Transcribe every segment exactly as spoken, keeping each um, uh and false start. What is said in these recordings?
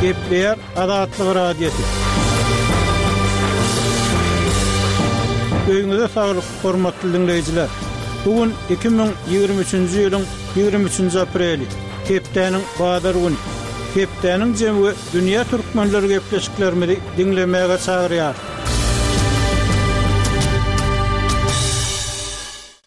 Gepleýär Azatlyk Radiosy. Öýüňize saglyk, hormatly diňleýjiler! Bu gün iki müň ýigrimi üçünji ýylyň ýigrimi üçünji apreli, hepdäniň bazar güni. Hepdäniň jemi we dünýä türkmenleri gepleşiklerimizi diňlemäge çagyrýar.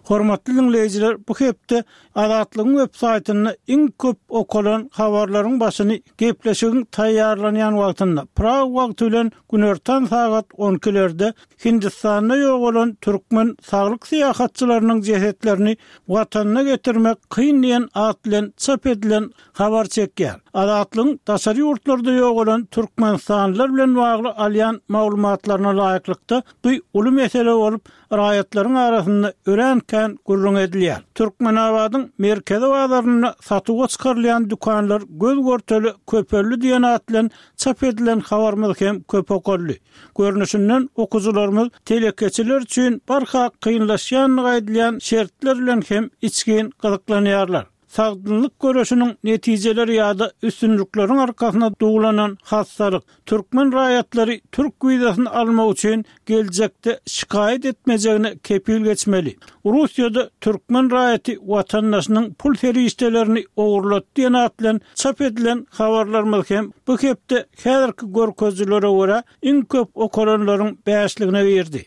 Hormatly diňleýjiler, bu hepde Azatlygyň web saýtynda iň köp okalan habarlaryň başyny gepleşigiň taýýarlanýan wagtynda, Prag wagty bilen günortan sagat on ikilerde Hindistanda ýogalan türkmen saglyk syýahatçylarynyň jesetlerini Watanyna getirmek kyn diýen at bilen çap edilen habar çekýär. Azatlygyň daşary ýurtlarda ýogalan türkmenistanlylar bilen bagly alýan maglumatlaryna laýyklykda, bu uly mesele bolup, raýatlaryň arasynda örän kän gürrüň edilýär. Türkmenabadyň merkezi bazarynda satuwa çykarylýan dükanlar göz-görtele köpeldi diýen at bilen çap edilen habarymyz hem köp okaldy. Görnüşinden, okyjylarymyz telekeçiler üçin barha kynlaşýandygy aýdylýan şertler bilen hem içgin gyzyklanýarlar. Sagdynlyk göreşiniň netijeleri ýa-da üstünlikleriň arkasyna duwlanan hassalyk, türkmen raýatlary türk wizasyny almak üçin geljekde şikaýat etmejegine kepil geçmeli. Russiýada türkmen raýaty watandaşynyň pul serişdelerini ogurlatdy diýen at bilen çap edilen habarlarymyz hem bu hepde häzirki görkezijilere görä iň köp okalanlaryň bäşligine girdi.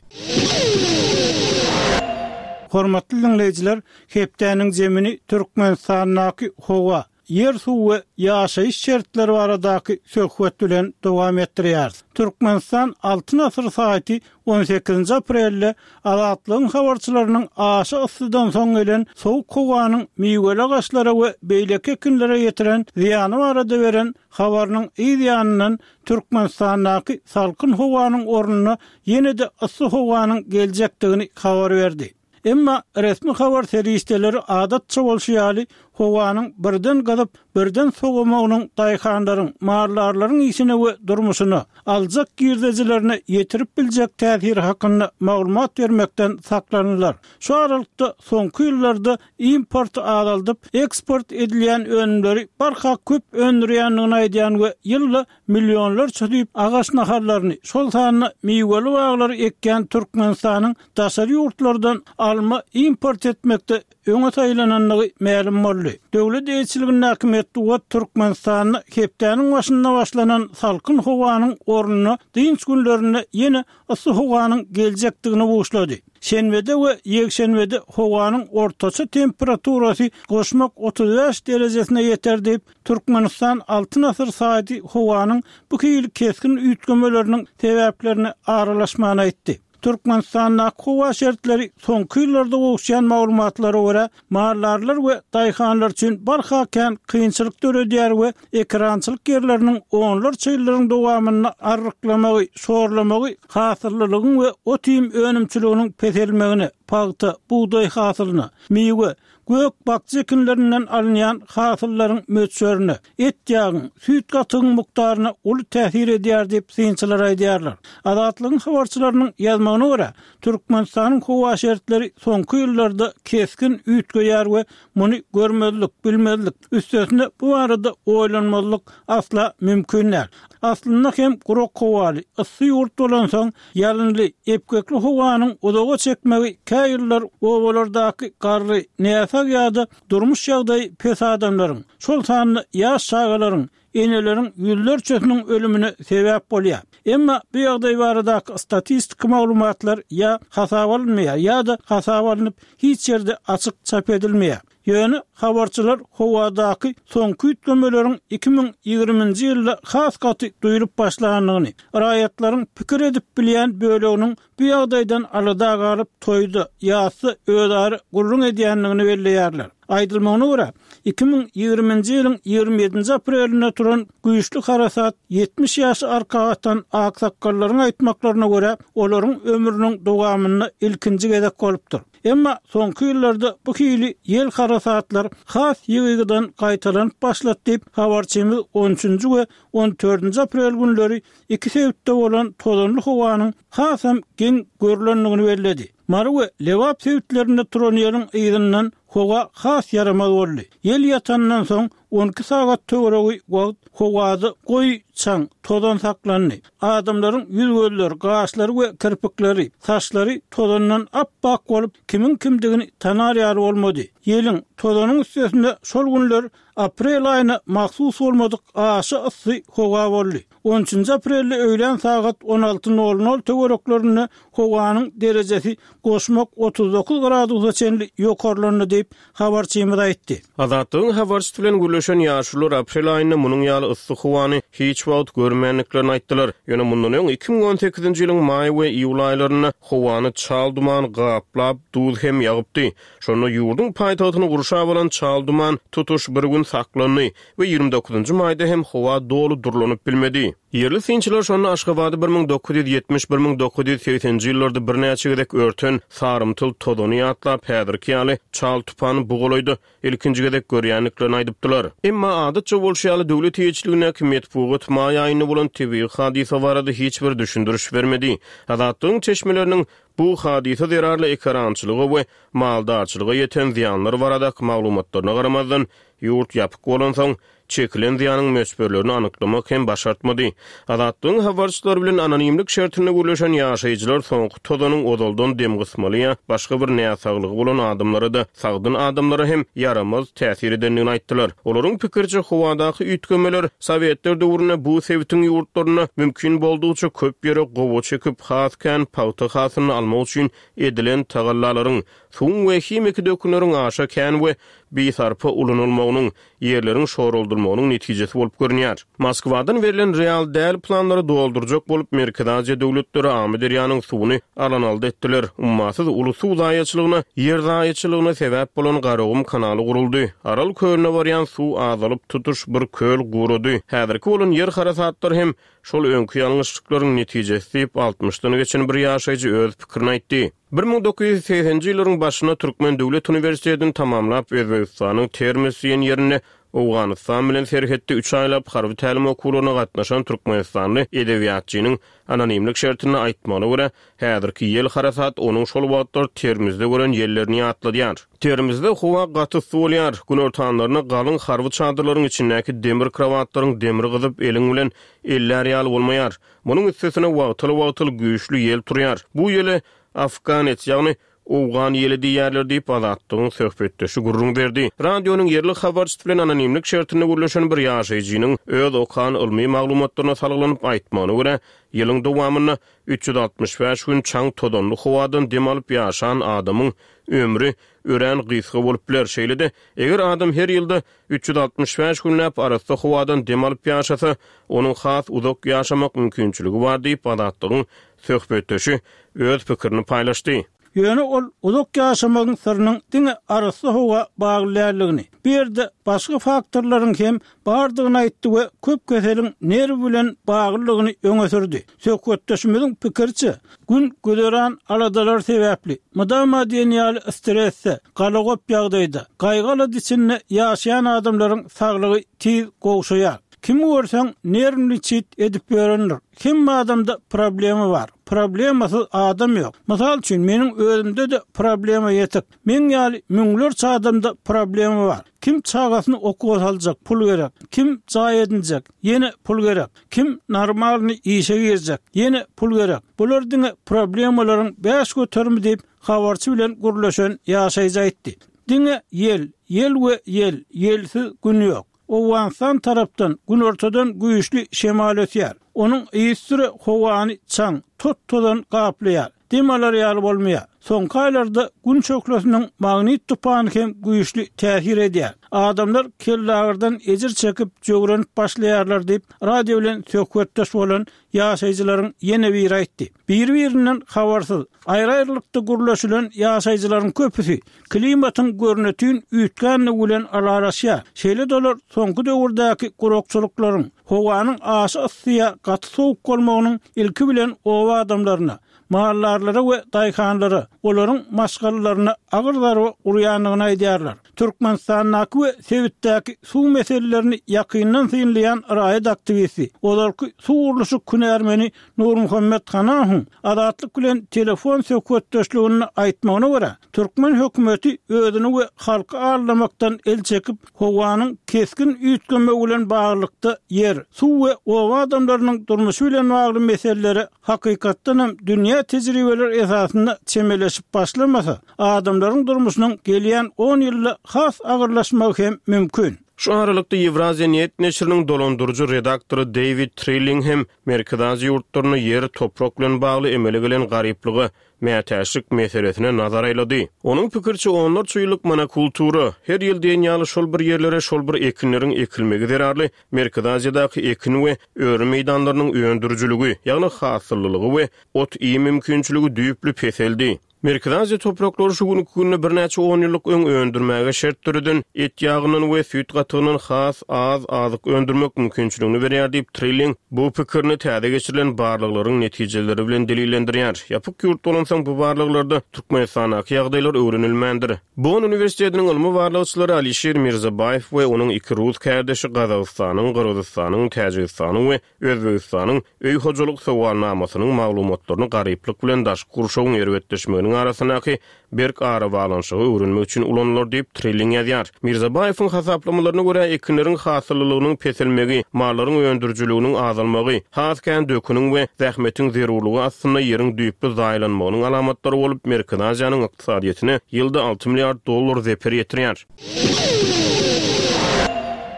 Hormatly diňleýjiler, hepdäniň zemini Türkmenistandaky howa, ýer-suw we ýaşaýyş şertleri baradaky söhbet bilen dowam etdirýäris. Türkmenistan Altyn asyr saýty on sekizinji aprelde Azatlygyň habarçylarynyň aşa yssydan soň gelen sowuk howanyň miweli agaçlara we beýleki ekinlere ýetiren zyýany barada beren habarynyň yz ýanyndan Türkmenistandaky salkyn howanyň ornuna ýene-de yssy howanyň geljekdigini habar berdi. Emma resmi habar serişdeleri adatça bolşy ýaly, howanyň birden gyzyp, birden sowamagynyň daýhanlaryň, maldarlaryň işine we durmuşyna, aljak girdejilerine ýetirip biljek täsiri hakynda maglumat bermekden saklandylar. Şu aralykda, soňky ýyllarda importy azaldyp, eksport edilýän önümleri barha köp öndürýändigini aýdýan we ýylda millionlarça düýp agaç nahallaryny, şol sanda miweli baglary ekýän Türkmenistanyň daşary ýurtlardan alma import etmekde öňe saýlanandygy mälim boldy. Döwlet eýeçiligindäki metbugat Türkmenistanda hepdäniň başynda başlanan salkyn howanyň ornuna dynç günlerinde ýene yssy howanyň geljekdigini buşlady. Şenbede we ýekşenbede howanyň ortaça temperaturasy goşmak otuz bäş derejesine ýeter diýip, Türkmenistan Altyn asyr saýty howanyň bu hili kesgin üýtgemeleriniň sebäplerine aralaşmany aýtdy. Türkmenistandaky howa şertleri soňky ýyllarda gowuşýan maglumatlara görä, maldarlar we daýhanlar üçin barha kän kynçylyk döredýär we ekerançylyk ýerleriniň onlarça ýyllaryň dowamynda arryklamagy, şorlamagy hasyllylygyň we ot-iým önümçiliginiň peselmegine, pagta, bugdaý hasylyna, miwe, gök-bakja ekinlerinden alynýan hasyllaryň möçberine, et-ýagyň, süýt-gatygyň mukdaryna uly täsir edýär diýip, synçylar aýdýarlar. Azatlygyň habarçylarynyň ýazmagyna görä, Türkmenistanyň howa şertleri soňky ýyllarda kesgin üýtgeýär we muny görmezlik, bilmezlik, üstesine bu barada oýlanmazlyk asla mümkin däl. Aslynda hem gurak howaly, yssy ýurt bolansoň, ýalynly, epgekli howanyň uzaga çekmegi kä ýyllar obalardaky garry, näsag ýa-da durmuş ýagdaýy pes adamlaryň, şol sanda ýaş çagalaryň, eneleriň ýüzlerçesiniň ölümine sebäp bolýar. Emma bu ýagdaý baradaky statistiki maglumatlar ýa hasaba alynmaýar ýa-da hasaba alnyp, hiç ýerde açyk çap edilmeýär. Ýöne habarçylar howadaky soňky üýtgemeleriň iki müň ýigriminji ýylda has gaty duýlup başlandygyny, raýatlaryň pikir edip bilýän böleginiň bu ýagdaýdan alada galyp, toýda, ýasda özara gürrüň edýändigini belleýärler. Aýdylmagyna görä, iki müň ýigriminji ýylyň ýigrimi ýedinji aprelinde turan güýçli harasat ýetmiş ýaşy arka atan aksakgallaryň aýtmaklaryna görä, olaryň ömrüniň dowamynda ilkinji gezek bolupdyr. Emma soňky ýyllarda bu hili ýel harasatlar has ýygy-ýygydan gaýtalanyp başlady diýip, habarçymyz on üçünji we on dördünji aprel günleri iki sebitde bolan tozanly howanyň hasam geň görlendigini belledi. Mary we Lebap sebitlerinde turan ýeliň yzyndan howa has ýaramaz boldy. Ýel ýatandan soň, On iki sagat töweregi wagt howada goýy çaň, tozan saklandy. Adamlaryň ýüz-gözleri, gaşlary we kirpikleri, saçlary tozandan ap-ak bolup, kimiň kimdigini tanar ýaly bolmady. Ýeliň, tozanyň üstesinde şol günler aprel aýyna mahsus bolmadyk aşa yssy howa boldy. On üçünji aprelde öýlän sagat on alty nol nol töwereklerinde howanyň derejesi goşmak otuz dokuz gradusa çenli ýokarlandy diýip, habarçymyz aýtdy. Azatlygyň habarçysy bilen gürleşen ýaşulular aprel aýynda munuň ýaly yssy howany hiç wagt görmändiklerini aýtdylar. Ýöne mundan öň iki müň on sekizinji ýylyň maý we iýul aýlarynda howany çal duman gaplap, duz hem ýagypdy. Şonda ýurduň paýtagtyny gurşap alan çal duman tutuş bir gün saklandy we ýigrimi dokuzynjy maýda hem howa doly durlanyp bilmedi. Ýerli synçylar şonda Aşgabady bir müň dokuz ýüz ýetmiş bir müň dokuz ýüz segsenji ýyllarda birnäçe gezek örten sarymtyl tozany ýatlap, häzirki ýaly çal tupany bu golaýda ilkinji gezek görýändiklerini aýdypdylar. Emma adatça bolşy ýaly döwlet eýeçiligindäki metbugat maý aýynda bolan tebigy hadysa barada hiç bir düşündiriş bermedi. Azatlygyň çeşmeleriniň bu hadysa zerarly ekarançylyga we maldarçylyga ýeten zyýanlar baradaky maglumatlaryna garamazdan, ýurt ýapyk bolansoň, çekilen zyýanyň möçberlerini anyklamak hem başartmady. Azatlygyň habarçylary bilen anonimlik şertinde gürleşen ýaşaýjylar soňky tozanyň ozaldan dem gysmaly ýa başga bir näsaglygy bolan adamlara da sagdyn adamlara hem ýaramaz täsir edendigini aýtdylar. Olaryň pikirçe howadaky üýtgemeler Sowetler döwründe bu sebitiň ýurtlarynda mümkin boldugyça köp ýere gowa çekip, has kän pagta hasylyny almak üçin edilen tagallalaryň, suwuň we himiki dökünleriň aşa kän we bisarpa ulanylmagynyň, ýerleriň şoruldurmagynyň netijesi bolup görünýär. Moskwadan berlen real däl planlary doldurjak bolup Merkezi Aziýa döwletleri Amyderýanyň suwuny alan-aldy etdiler. Ummasyz uly suw zaýaçylygyna, ýer zaýaçylygyna sebäp bolan Garagum kanaly guruldy. Aral kölüne barýan suw azalyp tutuş bir köl gurady. Häzirki bolan ýer harasatlary hem şol öňki ýalňyşlyklaryň netijesi diýip altmyşdan geçen bir ýaşaýjy öz pikirini aýtdy. Bir müň dokuz ýüz segsenji ýyllaryň başynda Türkmen Döwlet Uniwersitetini tamamlap Özbegistanyň Termez diýen ýerinde Owganystan bilen serhetde üç aýlap harby tälim okuwlaryna gatnaşan Türkmenistanly edebiýatçynyň anonimlik şertinde aýtmagyna görä, häzirki ýel harasat onuň şol wagtlar Termizde gören ýellerini ýatladýar. Termizde howa gaty yssy bolýar. Günortanlaryna galyň harby çadyrlaryň içindäki demir kravatlaryň demri gyzyp eliň bilen eller ýaly bolmaýar. Munuň üstesine wagtal-wagtal güýçli ýel turýar. Bu ýele Afganets, ýagny Owgan ýeli diýerler diýip Azatlygyň söhbetdeşi gürrüň berdi. Radionyň ýerli habarçysy bilen anonimlik şertinde gürleşen bir ýaşaýjynyň öz okan ylmy maglumatlaryna salgylanyp aýtmagyna görä, ýylyň dowamynda üç ýüz altmyş bäş gün çaň tozanly howadan dem alyp ýaşan adamyň ömri örän gysga bolup biler. Şeýle-de, eger adam her ýylda üç ýüz altmyş bäş günläp arassa howadan dem alyp ýaşasa, onuň has uzak ýaşamak mümkinçiligi bar diýip Azatlygyň söhbetdeşi öz pikirini paýlaşdy. Ýöne ol uzak ýaşamagyň syrynyň diňe arassa howa bagly däldigini, bu ýerde başga faktorlaryň hem bardygyny aýtdy we köp keseliň nerw bilen baglydygyny öňe sürdi. Söhbetdeşimiziň pikiriçe, gün güzeran aladalar sebäpli, mydama diýen ýaly stresde, galagop ýagdaýda, gaýgy-alada içinde ýaşaýan adamlaryň saglygy tiz gowşaýar. Kim görseň nerwni çit edip ýörendir. Hem adamda problema bar. Problemasyz adam ýok. Mysal üçin meniň özümde de problema ýetik. Men ýaly müňlerçe adamda problema bar. Kim çagasyny okuwa saljak pul gerek. Kim jaý edinjek, ýene pul gerek. Kim normalny işe girjek, ýene pul gerek. Bular diňe problemalaryň bäş göterimi diýip habarçy bilen gürleşen ýaşaýjy aýtdy. Diňe ýel, ýel we ýel, ýelsiz gün ýok. Owganystan tarapdan günortadan güýçli şemal ösýär. Onuň ýüzüre howany çaň, tot-tozan gaplaýar. Dem alar ýaly bolmaýar. Soňky aýlarda gün çöklesiniň magnit tupany hem güýçli täsir edýär. Adamlar kellagyrdan ejir çekip jöwrenip başlaýarlar diýip, radio bilen söhbetdeş bolan ýaşaýjylaryň ýene biri aýtdy. Bir-birinden habarsyz, aýry-aýrylykda gürleşilen ýaşaýjylaryň köpüsi klimatyň görnütün üýtgänligi bilen aralaşýar. Şeýle dolar soňky döwürdäki gurakçylyklaryň, howanyň aşa yssyya gaty sowuk bolmagynyň ilki bilen oba adamlaryna, mallarlara we daýhanlara, olaryň maşgalalaryna agyr zarba urýandygyny aýdýarlar. Türkmenistandaky we sebitdäki suw meselelerini ýakyndan synlaýan raýat aktiwisti, ozalky suw gurluşyk hünärmeni Nurmuhammet Hanahowyň Azatlyk bilen telefon söhbetdeşliginde aýtmagyna görä, türkmen hökümeti özüni we halky aldamakdan el çekip, howanyň kesgin üýtgemegi bilen baglylykda ýer, suw we oba adamlarynyň durmuşy bilen bagly meselelere hakykatdan hem dünýä tejribeleri esasynda çemeleşip başlamasa, adamlaryň durmuşynyň gelýän on ýylda has agyrlaşmagy hem mümkin. Şu aralykda Ýewraziýa Net neşiriniň dolandyryjy redaktory Deýwid Trilling hem Merkezi Aziýa ýurtlarynda ýer, toprak bilen bagly emele gelen garyplyga, mätäçlik meselesine nazar aýlady. Onuň pikiriçe, onlarça ýyllyk monokultura, her ýyl diýen ýaly şol bir ýerlere şol bir ekinleriň ekilmegi zerarly Merkezi Aziýadaky ekin we öri meýdanlarynyň öndürijiligi, ýagny hasyllylygy we ot-iým mümkinçiligi düýpli peseldi. Merkezi Aziýa topraklary şu günki günde birnäçe on ýyllyk öň öndürmäge şert döreden et ýagyndan we süýt gatygyndan has az azyk öndürmek mümkinçiligini berýär diýip, Trilling bu pikirini täze geçirilen barlaglaryň netijeleri bilen delillendirýär. Ýapyk ýurt bolansoň bu barlaglarda Türkmenistandaky ýagdaýlar öwrenilmändir. Bonn uniwersitetiniň ylmy barlagçylary Alişir Mirzabaýew we onuň iki rus kärdeşi Gazagystanyň, Gyrgyzystanyň, Täjigistanyň we Özbegistanyň öý hojalyk sowalnamasynyň maglumatlaryny garyplyk bilen daşky gurşawyň erbetleşmeginiň arasyndaky berk arabaglanyşygy öwrenmek üçin ulanylar diýip, Trilling ýazýar. Mirzabaýewiň hasaplamalaryna görä, ekinleriň hasyllylygynyň peselmegi, mallaryň öndürijiliginiň azalmagy, has kän döküniň we zähmetiň zerurlygy astynda ýeriň düýpli zaýalanmagynyň alamatlary bolup, Merkezi Aziýanyň ykdysadyýetine ýylda alty milliard dollar zeper ýetirýär.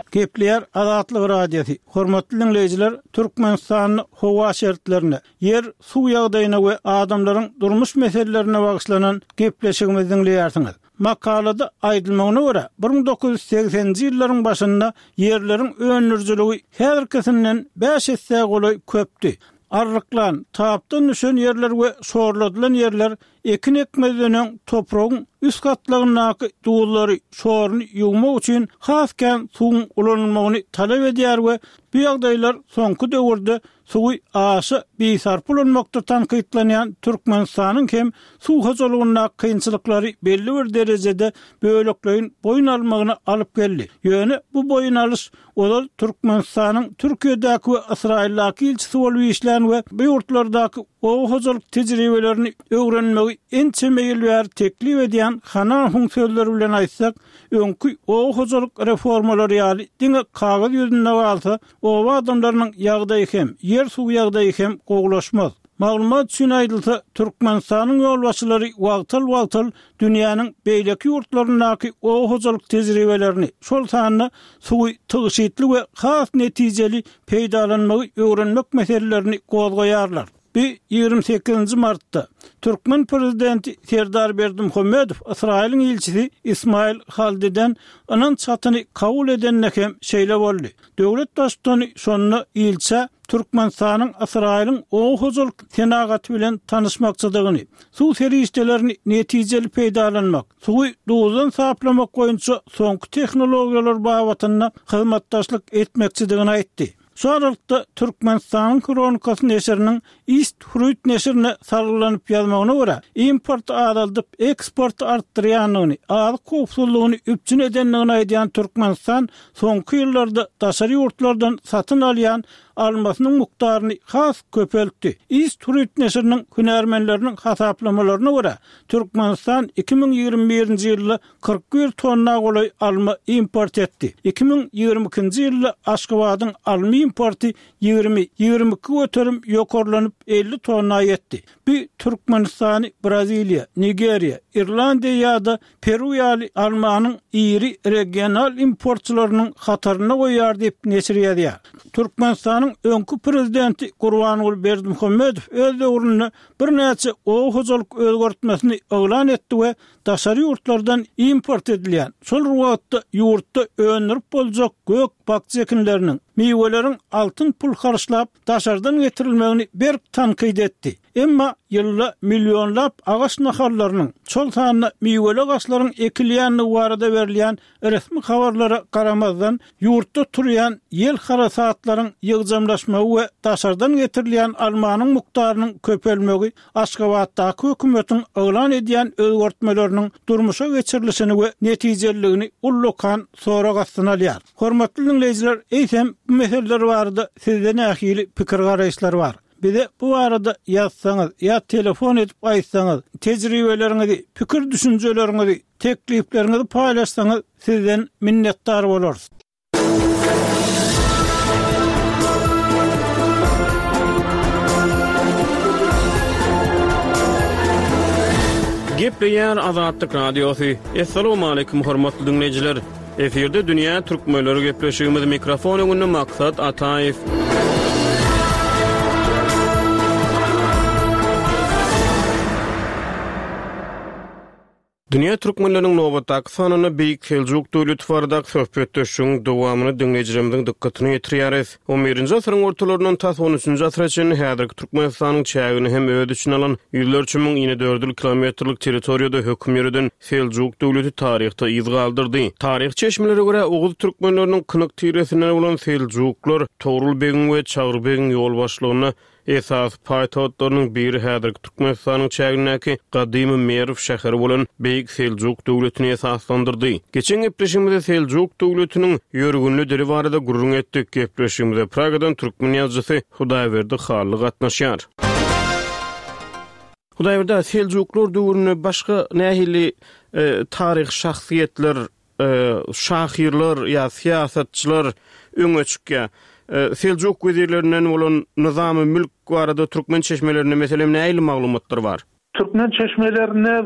Gepleýär Azatlyk Radiosy. Hormatly diňleýjiler, Türkmenistanda howa şertlerine, ýer, suw ýagdaýyna we adamlaryň durmuş meselelerine bagyşlanan gepleşigimizi diňleýärsiňiz. Makalada aýdylmagyna görä, bir müň dokuz ýüz segseninji ýyllaryň başynda ýerleriň öndürijiligi häzirkisinden bäş esse golaý köpdi. Arryklan, tapdan düşen ýerler we şorladylan ýerler ekin ekmezden öň topragyň üst gatlagyndaky duzlary, şoruny ýuwmak üçin has kän suwuň ulanylmagyny talap edýär we bu ýagdaýlar soňky döwürde suwy aşa bisarp ulanmakda tankytlanýan Türkmenistanyň hem suw hojalygyndaky kynçylyklary belli bir derejede bölekleýin boýun almagyna alyp geldi. Ýöne bu boýun alyş ozal Türkmenistanyň Türkiýedäki we Ysraýyldaky ilçisi bolup işlän we bu ýurtlardaky oba hojalyk tejribelerini öwrenmegi ençeme ýyl bäri teklip edýän Hanahowyň sözleri bilen aýtsak, öňki oba hojalyk reformalary ýaly diňe kagyz ýüzünde galsa, oba adamlarynyň ýagdaýy hem, ýer-suw ýagdaýy hem gowulaşmaz. Maglumat üçin aýdylsa, Türkmenistanyň ýolbaşçylary wagtal-wagtal dünýäniň beýleki ýurtlaryndaky oba hojalyk tejribelerini, şol sanda suwy tygşytly we has netijeli peýdalanmagy öwrenmek meselelerini gozgaýarlar. Bu ýigrimi sekizinji martda türkmen prezidenti Serdar Berdimuhamedow Ysraýylyň ilçisi Ismail Haldiden ynanç hatyny kabul edende hem şeýle boldy. Döwlet baştutany şonda ilçä Türkmenistanyň Ysraýylyň oba hojalyk senagaty bilen tanyşmakçydygyny, suw serişdelerini netijeli peýdalanmak, suwy duzdan saplamak boýunça soňky tehnologiýalar babatynda hyzmatdaşlyk etmekçidigini aýtdy. Şu aralykda Türkmenistanyň Hronikasy neşiriniň East Fruit neşirine salgylanyp ýazmagyna görä, importy azaldyp, eksporty artdyrýandygyny, azyk howpsuzlygyny üpjün edendigini aýdýan Türkmenistan soňky ýyllarda daşary ýurtlardan satyn alýan almasynyň mukdaryny has köpeltdi. East Fruit neşiriniň hünärmenleriniň hasaplamalaryna görä, Türkmenistan iki müň ýigrimi birinji ýylda kyrk bir tonna golaý alma import etdi. Iki müň ýigrimi ikinji ýylda Aşgabadyň alma importy ýigrimi, ýigrimi iki göterim ýokarlanyp, elli tonna ýetdi. Bu Türkmenistany Braziliýa, Nigeriýa, Irlandiýa ýa-da Peru ýaly almanyň iri regional importçylarynyň hatarynda goýýar diýip, neşir ýazýar. Türkmenistanyň öňki prezidenti Gurbanguly Berdimuhamedow öz döwründe birnäçe oba hojalyk özgertmesini yglan etdi we daşary ýurtlardan import edilýän, şol bir wagtda ýurtda öndürip boljak gök-bakja ekinleriniň, miweleriň altyn pul harçlap daşardan getirilmegini berk tankyt etdi. Emma ýylda millionlap agaç nahallarynyň, şol sanda miweli agaçlaryň ekilýändigi barada berilýän resmi habarlara garamazdan, ýurtda turýan ýel harasatlaryň ýygjamlaşmagy we daşardan getirilýän almanyň mukdarynyň köpelmegi Aşgabatdaky hökümetiň yglan edýän özgertmeleriniň durmuşa geçirilişini we netijeliligini ullakan sorag astyna alýar. Hormatly diňleýjiler, eýsem bu meseleler barada sizde nähili pikir-garaýyşlar bar? Bize bu barada ýazsaňyz ýa telefon edip aýtsaňyz, tejribeleriňizi, pikir-düşünjeleriňizi, teklipleriňizi paýlaşsaňyz sizden minnetdar bolarys. Gepleýär Azatlyk Radiosy. Assalamualaikum hormatly dinleýjiler. Efirde Dünýä Türkmenleri gepleşigimiz mikrofon öňünde Maksat Ataýew. Dünýä Türkmenleriniň nobatdaky sanynda Beýik Seljuk döwleti baradaky söhbetdeşligiň dowamyny diňleýjilerimiziň dykgatyna ýetirýäris. On birinji asyryň ortalaryndan tas on üçünji asyra çenli häzirki Türkmenistanyň çägini hem öz içine alan ýüzlerçe müň inedördül kilometrlik territoriýada höküm ýöreden Seljuk döwleti taryhda yz galdyrdy. Taryh çeşmelere görä Oguz türkmenleriniň kynyk tiresinden bolan Seljuklar Togrul begiň we Çagry begiň ýolbaşçylygynda esasy paýtagtlarynyň biri häzirki Türkmenistanyň çägindäki gadymy Merw şäheri bolan Beýik Seljuk döwletini esaslandyrdy. Geçen gepleşigimizde Seljuk döwletiniň ýörgünli dili barada gürrüň etdik. Gepleşigimize Pragadan türkmen ýazyjysy Hudaýberdi Hally gatnaşýar. Hudaýberdi, Seljuklar döwründe başga nähili e, taryh şahsyýetler, e, şahyrlar ýa syýasatçylar öňe çykýar? E, Seljuk wezirlerinden bolan Nyzamy Mülk barada türkmen çeşmelerinde meselem nähili maglumatlar bar? Türkmen çeşmelerinde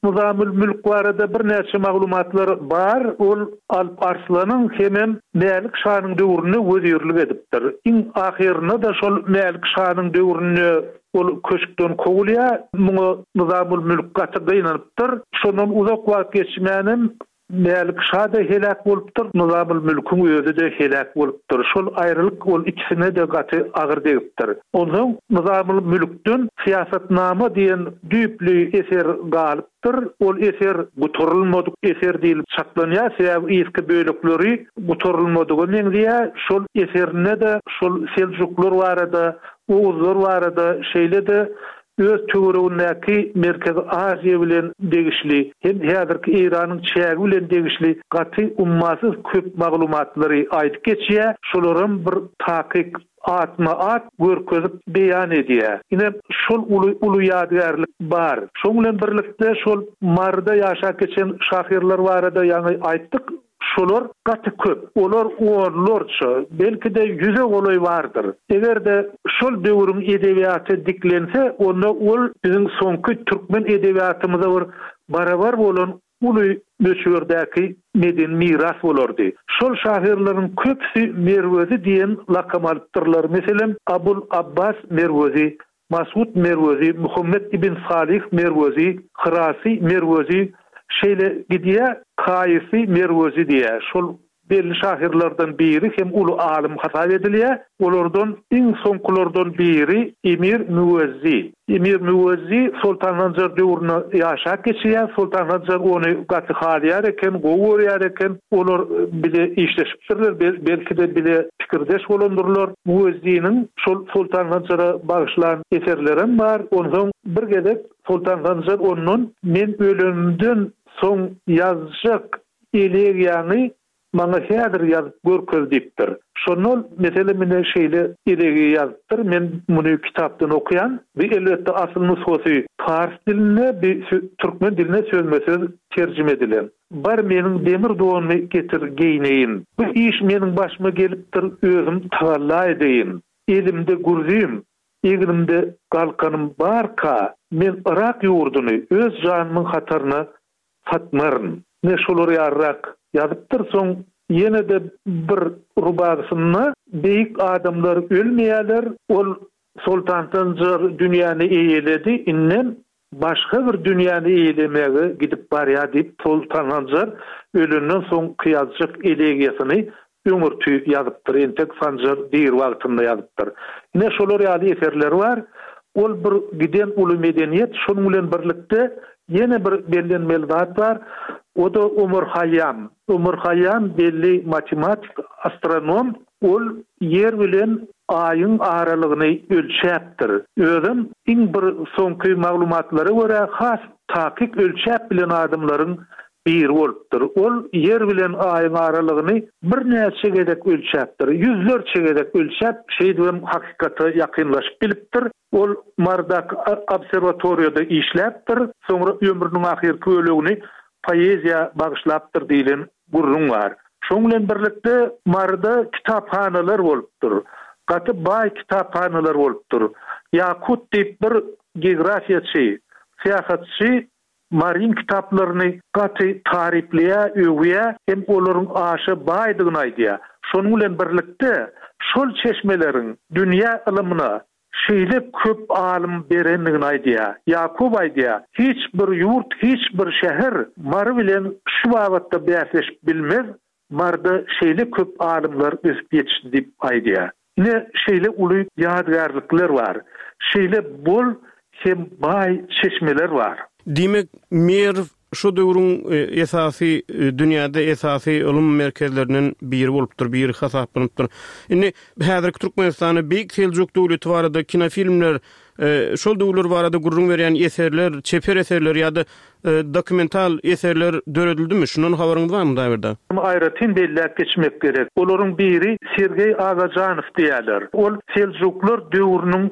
Nyzamül Mülk barada birnäçe maglumatlar bar. Ol Alp Arslanyň hemem Mälik şanyň döwründe wezirlik edipdir. Iň ahyrynda da şol Mälik şanyň döwründe ol köşkden kowulýar. Muňa Nyzamül Mülk gaty gynanypdyr. Şondan uzak wagt geçmänem Mälik şa da helak bolupdyr, Nyzamül Mülküň özi de helak bolupdyr. Şol aýrylyk ol ikisine de gaty agyr degipdir. Ondan Nyzamül Mülkden syýasatnama diýen düýpli eser galypdyr. Ol eser gutarylmadyk eser diýilip çaklanýar. Sebäbi yzky bölekleri gutarylmadygy meňzeýär. Şol eserinde de şol Seljuklar barada, Oğuzlar barada şeýle de öz töweregindäki Merkezi Aziýa bilen degişli, hem häzirki Eýranyň çägi bilen degişli gaty ummasyz köp maglumatlary aýdyp geçýär. Şolaram bir takyk atma at görkezip beýan edýär. Ine şol uly uly ýadygärlik bar. Şoň bilen birlikde şol Maryda ýaşap geçen şahyrlar barada ýaňy aýtdyk. Şolar gaty köp. Olar onlarça, belki de ýüze golaý bardyr. Eger de şol döwrüň edebiýaty diklense, onda ol biziň soňky türkmen edebiýatymyza bir barabar bolan uly möçberdäki medeni miras bolardy. Şol şahyrlaryň köpüsi Merwezi diýen lakam alypdyrlar. Meselem, Abul Abbas Merwezi, Masud Merwezi, Muhammed ibn Salih Merwezi, Hyrasy Merwezi, şeýle gidýär, Kaýysy Merwezi diýär. Şol belli şahyrlardan biri hem uly alym hasap edilýär. Olardan iň soňkulardan biri Emir Müwezzi. Emir Müwezzi Sultan Sanjar döwründe ýaşap geçýär. Sultan Sanjar ony gaty halýar eken, gowy görýär eken. Olar bile işleşipdirler, belki de bile pikirdeş bolandyrlar. Müwezziniň şol Sultan Sanjara bagyşlan eserlerem bar. Ondan bir gezek Sultan Sanjar ondan men ölenimden soň ýazjak elegiýany maňa häzir ýazyp görkez diýipdir. Şondan meselem mene şeýle elegiýa ýazypdyr. Men muny kitapdan okaýan. Bu elbetde asyl nusgasy pars dilinde, bir türkmen diline sözme-söz terjime edilen. Bar meniň demir donumy getir geýneýin. Bu iş meniň başyma gelipdir, özüm tagalla edeýin. Elimde gürzüm, egnimde galkanym barka, men Irak ýurduny öz janymyň hataryna satmaryn. Ne şolar ýarrak ýazypdyr, soň ýene de bir rubagysynda beýik adamlar ölmeýärler, ol Sultan Sanjar dünýäni eýeledi, inden başga bir dünýäni eýelemege gidip barýar diýip Sultan Sanjar ölenden soň kyýazjak elegiýasyny öňürti ýazypdyr. Entek Sanjar dir wagtynda ýazypdyr. Ine şolar ýaly eserler bar. Ol bir giden uly medeniýet, şonuň bilen birlikde ýene bir bellenmeli zat bar, o-da Omar Haýýam. Omar Haýýam belli matematik, astronom, ol Ýer bilen Aýyň aralygyny ölçäpdir. Özem iň bir soňky maglumatlara görä has takyk ölçäp bilen adamlaryň biri bolupdyr. Ol Ýer bilen Aýyň aralygyny birnäçe gezek ölçäpdir. Ýüzlerçe gezek ölçäp, şeýdibem hakykata ýakynlaşyp bilipdir. Ol Marydaky obserwatoriýada işläpdir, soňra ömrüniň ahyrky bölegini poeziýa bagyşlapdyr diýlen gürrüň bar. Şonuň bilen birlikde Maryda kitaphanalar bolupdyr. Gaty baý kitaphanalar bolupdyr. Ýakut diýip bir geografiýaçy, syýahatçy Maryň kitaplaryny gaty taryplaýar, öwýär hem olaryň aşa baýdygyny aýdýar. Şonuň bilen birlikde şol çeşmeleriň dünýä ylymyna şeýle köp alym berendigini aýdýar. Ýakup aýdýar, Hiç bir ýurt, hiç bir şäher Mary bilen şu babatda bäsleşip bilmez, Maryda şeýle köp alymlar ösüp ýetişdi diýip aýdýar. Ine, şeýle uly ýadygärlikler bar. Şeýle bol hem baý çeşmeler bar. Diýmek, Merw şo döwrüň esasy, dünýäde esasy ylym merkezlerinden biri bolupdyr, biri hasaplanypdyr. Indi häzirki Türkmenistanda Beýik Seljuk döwleti barada kinofilmler, şol döwürler barada gürrüň berýän eserler, çeper eserler ýa-da dokumental eserler döredildimi? Şundan habaryňyz barmy, Hudaýberdi? Muny aýratyn belläp geçmek gerek. Olaryň biri Sergeý Agajanow diýýärler. Ol Seljuklar döwrüniň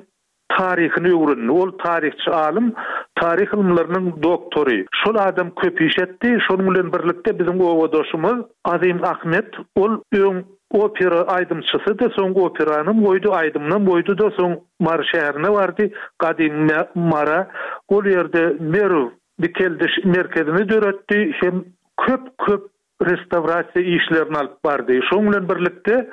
taryhyny öwrendi. Ol taryhçy alym, taryh ylymlarynyň doktory. Şol adam köp iş etdi. Şonuň bilen birlikde biziň obadaşymyz Azim Ahmet, ol öň opera aýdymçysydy, soň operanam goýdy, aýdymynam goýdy-da, soň Mary şäherine bardy, gadymy Mara. Ol ýerde Merw dikeldiş merkezini döretdi hem köp-köp restawrasiýa işlerini alyp bardy. Şonuň bilen birlikde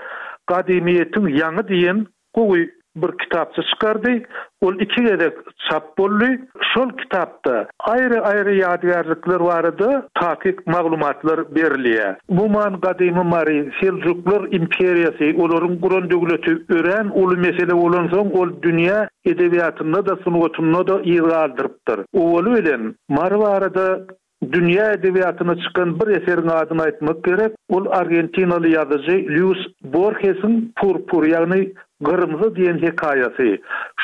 Gadymyýetiň ýaňy diýen gowy bir kitapça çykardy. Ol iki gezek çap boldy. Şol kitapda aýry-aýry ýadygärlikler barada takyk maglumatlar berilýär. Umuman, gadymy Mary, Seljuklar imperiýasy, olaryň guran döwleti örän uly mesele bolansoň, ol dünýä edebiýatynda-da, sungatynda-da yz galdyrypdyr. Owaly bilen, Mary barada Dünýä edebiýatyna çykan bir eseriň adyny aýtmak gerek, ol argentinaly ýazyjy Lýuis Borhesiň Purpur, ýagny Gyrmzy diýen hekaýasy.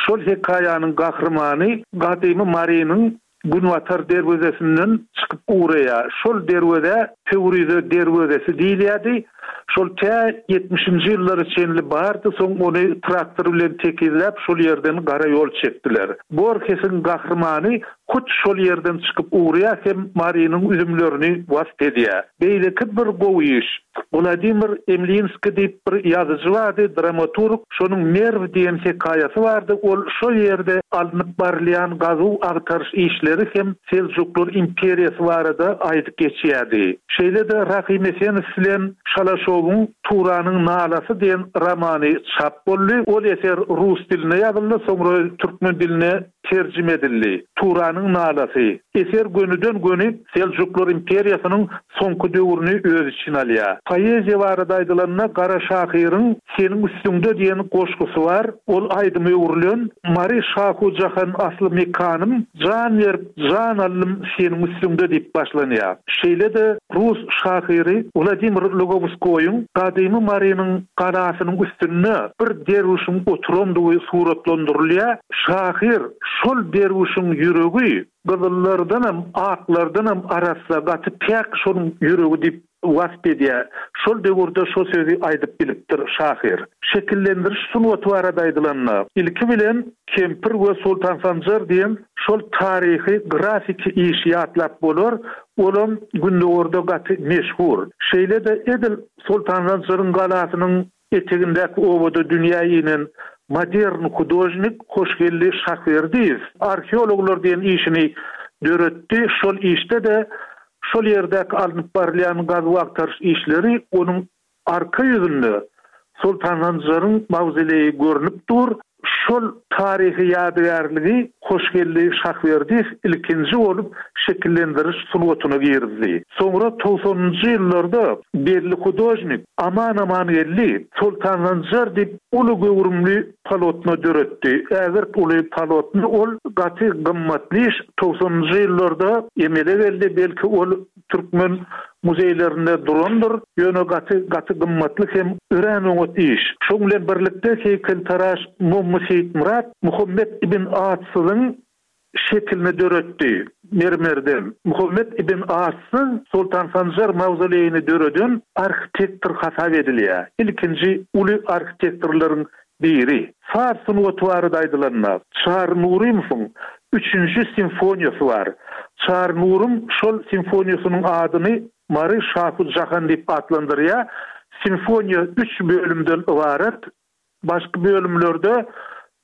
Şol hekaýanyň gahrymany gadymy Marynyň günbatar derwezesinden çykyp ugraýar. Şol derwezä Pöwrize derwezesi diýilýärdi. Şol tä ýetmişinji ýyllara çenli bardy, soň ony traktor bilen tekizläp, şol ýerden gara ýol çekdiler. Borhesiň gahrymany hut şol ýerden çykyp ugraýar hem Marynyň üzümlerini wasp edýär. Beýleki bir gowy iş, Wladimir Emlinskiý diýip bir ýazyjy bardy, dramaturg, şonuň Merw diýen hekaýasy bardy, ol şol ýerde alnyp barylýan gazuw-agtaryş işleri hem Seljuklar imperiýasy barada aýdyp geçýärdi. Şeýle-de Rahym Esenow bilen Şalaşowyň Turanyň nalasy diýen romany çap boldy. Ol eser rus dilinde ýazyldy, soňra türkmen diline terjime edildi. Turanyň nalasy. Eser gönüden-göni Seljuklar imperiýasynyň soňky döwrüni öz içine alýar. Poeziýa barada aýdylanda, Gara şahyryň Seniň üstüňde diýen goşgusy bar. Ol aýdyma öwrülen. Mary şahu-jahan asly mekanym, Jan berip, jan aldym seniň üstüňde diýip başlanýar. Şeýle-de rus şahyry Wladimir Lugowskoýyň gadymy Marynyň galasynyň üstünde bir derwüşiň oturandygy suratlandyrylýar. Şahyr şol derwüşiň ýüregi gyzyllardanam, aklardanam arassa, gaty päk şonuň ýüregi diýip wasp edýär. Şol döwürde şo sözi aýdyp bilipdir şahyr. Şekillendiriş sungaty barada aýdylanda, ilki bilen Kempir we Soltan Sanjar diýen şol taryhy grafiki işi ýatlap bolar, olam Gündogarda gaty meşhur. Şeýle-de edil Soltan Sanjaryň galasynyň etegindäki obada dünýä inen modern hudožnik Hoşgeldi Şahberdiýew Arheologlar diýen işini döretdi. Şol işde-de şol ýerdäki alnyp barylýan gazuw-agtaryş işleri onuň arka ýüzünde Soltan Sanjaryň mawzoleýi görnüp dur. Şol taryhy ýadygärligi Hoşgeldi Şahberdiýew ilkinji bolup şekillendiriş sungatyna girizdi. Soňra togsanynjy ýyllarda belli hudožnik Aman Amangeldi Soltan Sanjar diýip uly göwrümli polotno döretdi. Ägirt uly polotno, ol gaty gymmatly iş, togsanynjy ýyllarda emele geldi, belki ol türkmen muzeýlerinde durandyr, ýöne gaty gaty gymmatly hem örän oňat iş. Şoň bilen birlikde heýkeltaraş Mommy Seýitmyrat Muhammet ibn Atsyzyň şekilini döretdi mermerden. Muhammet ibn Atsyz Soltan Sanjar mawzoleýini döreden arhitektor hasap edilýär. Ilkinji uly arhitektorlaryň biri. Saz sungaty barada aýdylanda, Çary Nurymowyň üçünji simfoniýasy bar. Çary Nurym şol simfoniýasynyň adyny Mary Şahu Jahan diýip atlandyrýar. Simfoniýa üç bölümden ybarat. Başky bölümlerde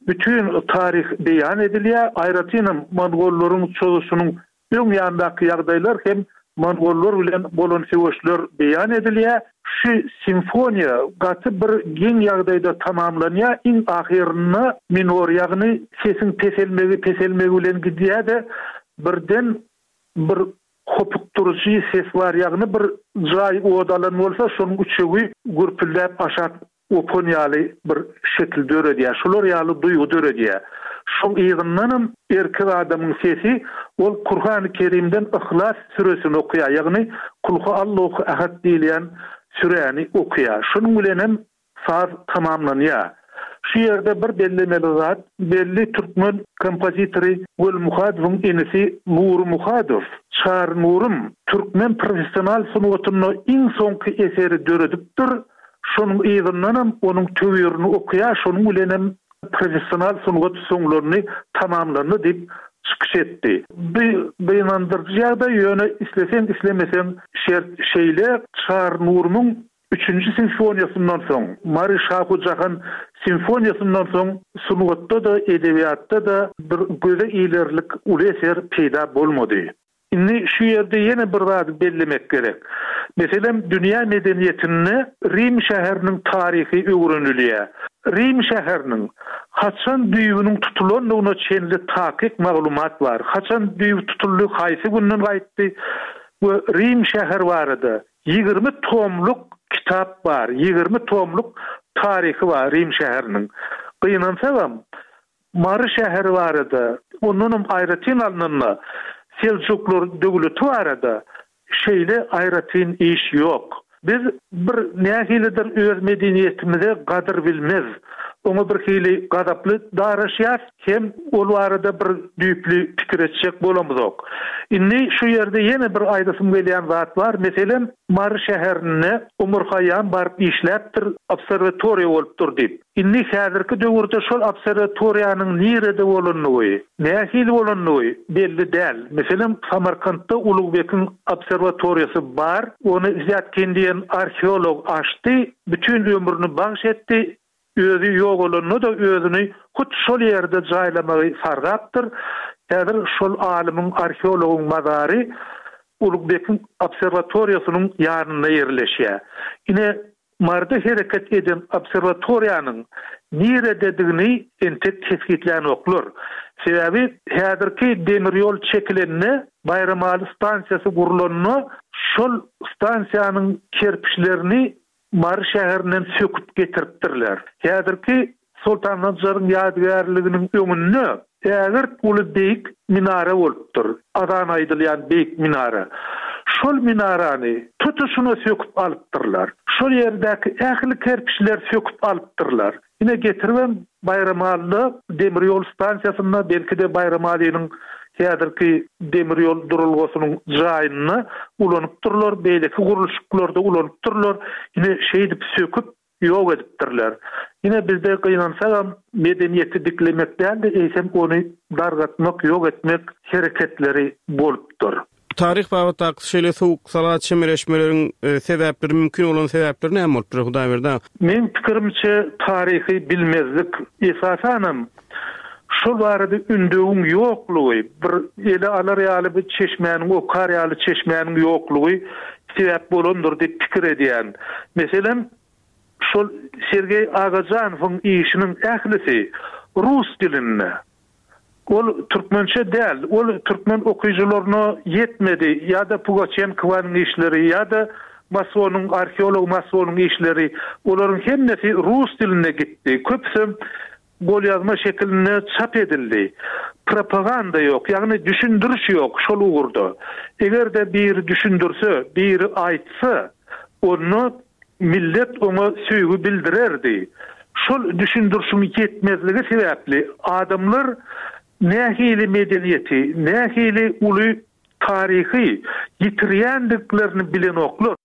bütin taryh beýan edilýär. Aýratynam mongollaryň çozuşynyň öň ýanyndaky ýagdaýlar hem mongollar bilen bolan söweşler beýan edilýär. Şu simfoniýa gaty bir geň ýagdaýda tamamlanýar. Iň ahyrynda minor, ýagny sesiň peselmegi, peselmegi bilen gidýär-de, birden bir hopukdyryjy ses bar, ýagny bir jaý ot alan bolsa, şonuň üçegi gürpüldäp aşak opan ýaly bir şekil döredýär. Şular ýaly duýgy döredýär. Şoň yzyndanam erkek adamyň sesi, ol Kurhany Kerimden Yhlas süresini okaýar, ýagny Kulhu Allahu Ahad diýilýän süräni okaýar. Şonuň bilenem saz tamamlanýar. Şu ýerde bir bellemeli zat, belli türkmen kompozitory Weli Muhadowyň inisi Nury Muhadow, Çary Nurym türkmen professional sungatynda iň soňky eseri döredipdir, şonuň yzyndanam onuň töwirini okaýar, şonuň bilenem professional sungat soňlandy, tamamlandy diýip çykyş etdi. Bu gynandyryjy ýagdaý, ýöne isleseň islemeseň şert şeýle, Çary Nurumyň üçünji simfoniýasyndan soň, Mary Şahu Jahan simfoniýasyndan soň sungatda-da, edebiýatda-da bir göze ilerlik uly eser peýda bolmady. Indi şu ýerde ýene bir zady bellemek gerek. Meselem, dünýä medeniýetinde Rim şäheriniň taryhy öwrenilýär. Rim şäheriniň haçan düýbüniň tutulandygyna çenli takyk maglumat bar. Haçan düýbi tutuldy, haýsy günden gaýtdy we Rim şäheri barada ýigrimi tomluk kitap bar, ýigrimi tomluk taryhy bar Rim şäheriniň. Gynansagam, Mary şäheri barada, ondanam aýratyn alnanda Seljuklar döwleti barada şeýle aýratyn iş ýok. Biz bir nähilidir öz medeniýetimize gadyr bilmez, oňa bir hili gazaply daraşýas, hem ol barada bir düýpli pikir etjek bolamyzok. Indi şu ýerde ýene bir aýdasym gelýän zat bar. Meselem, Mary şäherinde Omar Haýýam baryp işläpdir, obserwatoriýa bolupdyr diýip. Indi häzirki döwürde şol obserwatoriýanyň nirede bolandygy, nähili bolandygy belli däl. Meselem, Samarkantda Ulugbekiň obserwatoriýasy bar. Ony Zýatkin diýen arheolog açdy, bütin ömrüni bagş etdi. Özi ýogalanda-da özüni hut şol ýerde jaýlamagy sargapdyr. Häzir şol alymyň, arheologyň mazary Ulugbekiň obserwatoriýasynyň ýanynda ýerleşýär. Ine, Maryda hereket eden obserwatoriýanyň nirededigini entek kesgitlänoklar. Sebäbi häzirki demir ýol çekilende, Baýramaly stansiýasy gurlanda şol stansiýanyň kerpiçlerini Mary şäherinden söküp getiripdirler. Häzirki Soltan Sanjaryň ýadygärliginiň öňünde ägirt uly beýik minara bolupdyr. Azan aýdylýan beýik minara. Şol minarany tutuşyna söküp alypdyrlar. Şol ýerdäki ähli kerpiçleri söküp alypdyrlar. Ine getiribem Baýramalyda demir ýol stansiýasynda, belki-de Baýramalynyň häzirki demir ýol duralgasynyň jaýynda ulanypdyrlar, beýleki gurluşyklarda ulanypdyrlar. Ine şeýdip söküp ýok edipdirler. Ine bizde gynansagam medeniýeti diklemek däl-de, eýsem ony dargatmak, ýok etmek hereketleri bolupdyr. Taryh babatdaky şeýle sowuk sala çemeleşmeleriň, e, sebäpleri, mümkin bolan sebäpleri näme bolupdyr Hudaýberdi aga? Meň pikirimçe taryhy bilmezlik, esasanam şol barada ündewiň ýoklugy, bir ele alar ýaly bir çeşmäniň, okar ýaly çeşmäniň ýoklugy sebäp bolandyr diýip pikir edýän. Meselem, şol Sergeý Agajanowyň işiniň ählisi rus dilinde. Ol türkmençe däl, ol türkmen okyjylaryna ýetmedi, ýa-da Pugaçenkowanyň işleri, ýa-da Massonyň, arheolog Massonyň işleri, olaryň hemmesi rus dilinde gitdi. Köpüsem golýazma şekilinde çap edildi. Propaganda ýok, ýagny düşündiriş ýok şol ugurda. Eger-de biri düşündirse, biri aýtsa, onda millet oňa söýgi bildirerdi. Şol düşündirişiň ýetmezligi sebäpli adamlar nähili medeniýeti, nähili uly taryhy ýitirýändiklerini bilenoklar.